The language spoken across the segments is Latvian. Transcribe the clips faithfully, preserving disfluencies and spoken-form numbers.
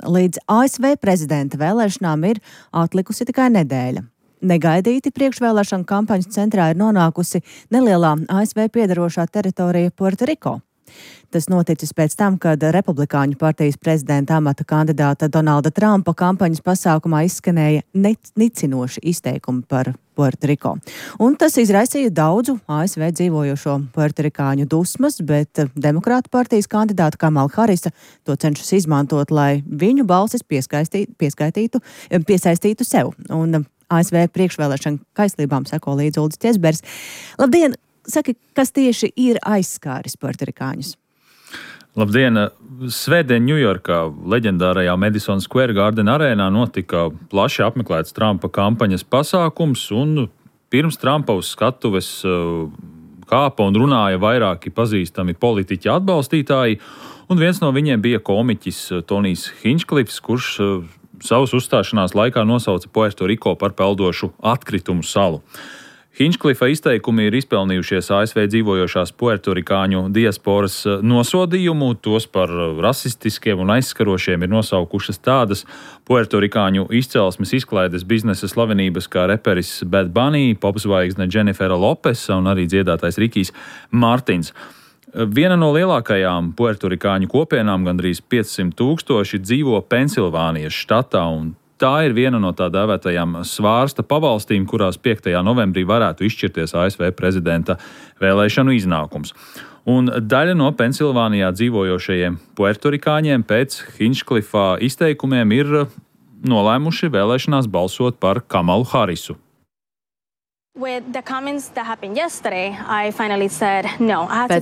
Līdz A S V prezidenta vēlēšanām ir atlikusi tikai nedēļa. Negaidīti priekšvēlēšanu kampaņas centrā ir nonākusi nelielā A S V piedarošā teritorija Puertoriko. Tas noticis pēc tam, kad Republikāņu partijas prezidenta amata kandidāta Donalda Trumpa kampaņas pasākumā izskanēja nicinoši izteikumi par Puertoriko. Un tas izraisīja daudzu A S V dzīvojošo puertorikāņu dusmas, bet Demokrātu partijas kandidāta Kamala Harisa to cenšas izmantot, lai viņu balsis pieskaitītu, piesaistītu sev. Un A S V priekšvēlēšanu kaislībām seko līdz Uldis Ķesbergs. Labdien! Saki, kas tieši ir aizskāris puertorikāņus? Labdien! Svētdien Ņujorkā, leģendārajā Madison Square Garden arēnā notika plaši apmeklēts Trumpa kampaņas pasākums, un pirms Trumpa uz skatuves kāpa un runāja vairāki pazīstami politiķi atbalstītāji, un viens no viņiem bija komiķis Tonijs Hinčklifs, kurš savas uzstāšanās laikā nosauca Puertoriko par peldošu atkritumu salu. Hinčklifa izteikumi ir izpelnījušies A S V dzīvojošās puertorikāņu diasporas nosodījumu, tos par rasistiskiem un aizskarošiem ir nosaukušas tādas puertorikāņu izcelsmes izklaides biznesa slavenības kā reperis Bad Bunny, popzvaigzne Dženifera Lopesa un arī dziedātais Rikijs Martins. Viena no lielākajām puertorikāņu kopienām, gandrīz piecsimt tūkstoši, dzīvo Pensilvānijas štatā, un tā ir viena no tā dēvētajām svārsta pavalstīm, kurās piektajā novembrī varētu izšķirties A S V prezidenta vēlēšanu iznākums. Un daļa no Pensilvānijā dzīvojošajiem puertorikāņiem pēc Hinčklifa izteikumiem ir nolēmuši vēlēšanās balsot par Kamalu Harisu. Pēc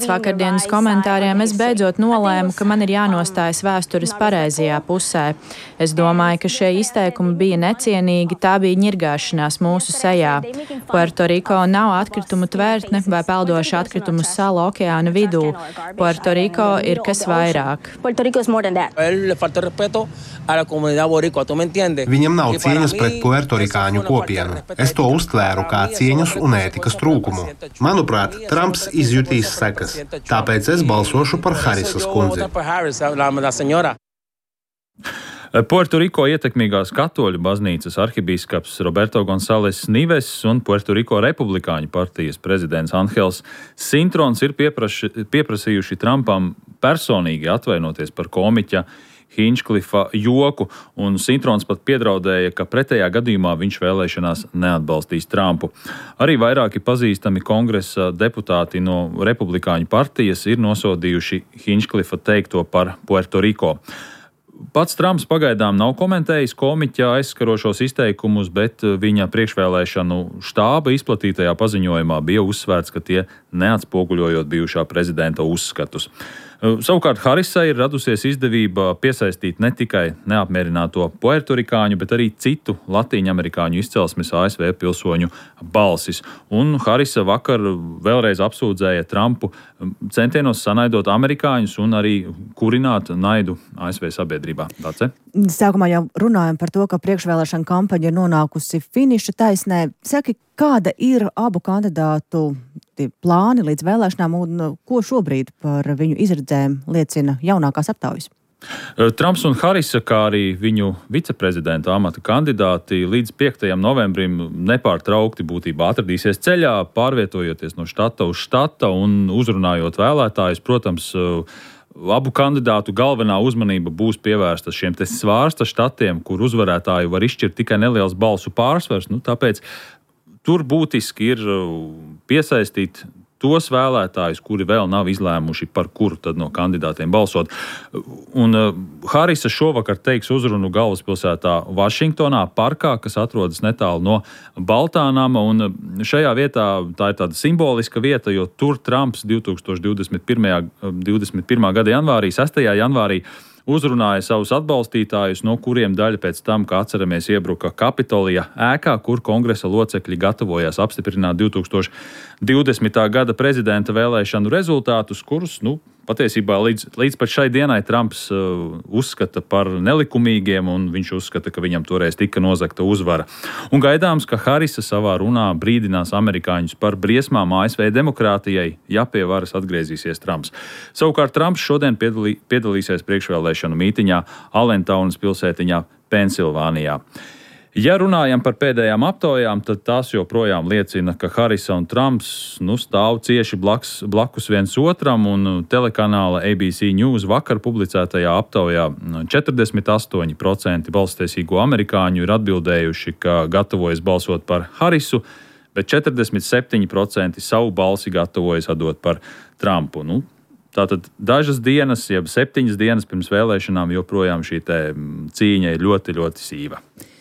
vakardienas komentāriem es beidzot nolēmu, ka man ir jānostājas vēstures pareizajā pusē. Es domāju, ka šie izteikumi bija necienīgi, tā bija ņirgāšanās mūsu sejā. Puertoriko nav atkritumu tvērtne vai peldoša atkritumu sala okeāna vidū. Puertoriko ir kas vairāk. Viņam nav cieņas pret puertorikāņu kopienu. Es to uztvēru kā cieņas un ētikas trūkumu. Manuprāt, Trumps izjutīs sekas, tāpēc es balsošu par Harisas kundzi. Puertoriko ietekmīgās katoļu baznīcas arhibīskaps Roberto Gonzales Nives un Puertoriko republikāņu partijas prezidents Angels Sintrons ir piepraši, pieprasījuši Trumpam personīgi atvainoties par komiķa Hinčklifa joku, un Sintrons pat piedraudēja, ka pretējā gadījumā viņš vēlēšanās neatbalstīs Trumpu. Arī vairāki pazīstami kongresa deputāti no republikāņu partijas ir nosodījuši Hinčklifa teikto par Puertoriko. Pats Trumps pagaidām nav komentējis komiķa aizskarošos izteikumus, bet viņa priekšvēlēšanu štāba izplatītajā paziņojumā bija uzsvērts, ka tie neatspoguļojot bijušā prezidenta uzskatus. Savukārt Harisai ir radusies izdevība piesaistīt ne tikai neapmierināto puertorikāņu, bet arī citu latīņamerikāņu izcelsmes A S V pilsoņu balsis. Un Harisa vakar vēlreiz apsūdzēja Trumpu centienos sanaidot amerikāņus un arī kurināt naidu A S V sabiedrībā. Dace? Sākumā jau runājam par to, ka priekšvēlēšana kampaņa ir nonākusi finiša taisnē. Saki, kāda ir abu kandidātu plāni līdz vēlēšanām un ko šobrīd par viņu izredzēm liecina jaunākās aptaujas? Trumps un Harisa, kā arī viņu viceprezidenta amata kandidāti, līdz piektajam novembrim nepārtraukti būtībā atradīsies ceļā, pārvietojoties no štata uz štata un uzrunājot vēlētājus. Protams, abu kandidātu galvenā uzmanība būs pievērsta šiem te svārsta štatiem, kur uzvarētāju var izšķirt tikai neliels balsu pārsvars. Nu, tāpēc tur būtiski ir piesaistīt tos vēlētājus, kuri vēl nav izlēmuši, par kuru tad no kandidātiem balsot. Un uh, Harisa šovakar teiks uzrunu galvaspilsētā Vašingtonā, parkā, kas atrodas netālu no Baltā nama, un šajā vietā tā ir tāda simboliska vieta, jo tur Trumps divtūkstoš divdesmit pirmā gada janvārī, sestajā janvārī, uzrunāja savus atbalstītājus, no kuriem daļa pēc tam, kā atceramies, iebruka Kapitolija ēkā, kur kongresa locekļi gatavojās apstiprināt divtūkstoš divdesmitā gada prezidenta vēlēšanu rezultātus, kurus, nu, patiesībā līdz, līdz pat šai dienai Trumps uh, uzskata par nelikumīgiem, un viņš uzskata, ka viņam toreiz tika nozagta uzvara. Un gaidāms, ka Harisa savā runā brīdinās amerikāņus par briesmām A S V demokrātijai, ja pie varas atgriezīsies Trumps. Savukārt Trumps šodien piedalī, piedalīsies priekšvēlēšanu mītiņā Allentaunas pilsētiņā Pensilvānijā. Ja runājam par pēdējām aptaujām, tad tās joprojām liecina, ka Harisa un Trumps nu, stāv cieši blakus, blakus viens otram, un telekanāla A B C News vakar publicētajā aptaujā četrdesmit astoņi procenti balsstiesīgo amerikāņu ir atbildējuši, ka gatavojas balsot par Harisu, bet četrdesmit septiņi procenti savu balsi gatavojas atdot par Trumpu. Nu, tātad dažas dienas, jeb septiņas dienas pirms vēlēšanām joprojām šī te cīņa ir ļoti, ļoti sīva.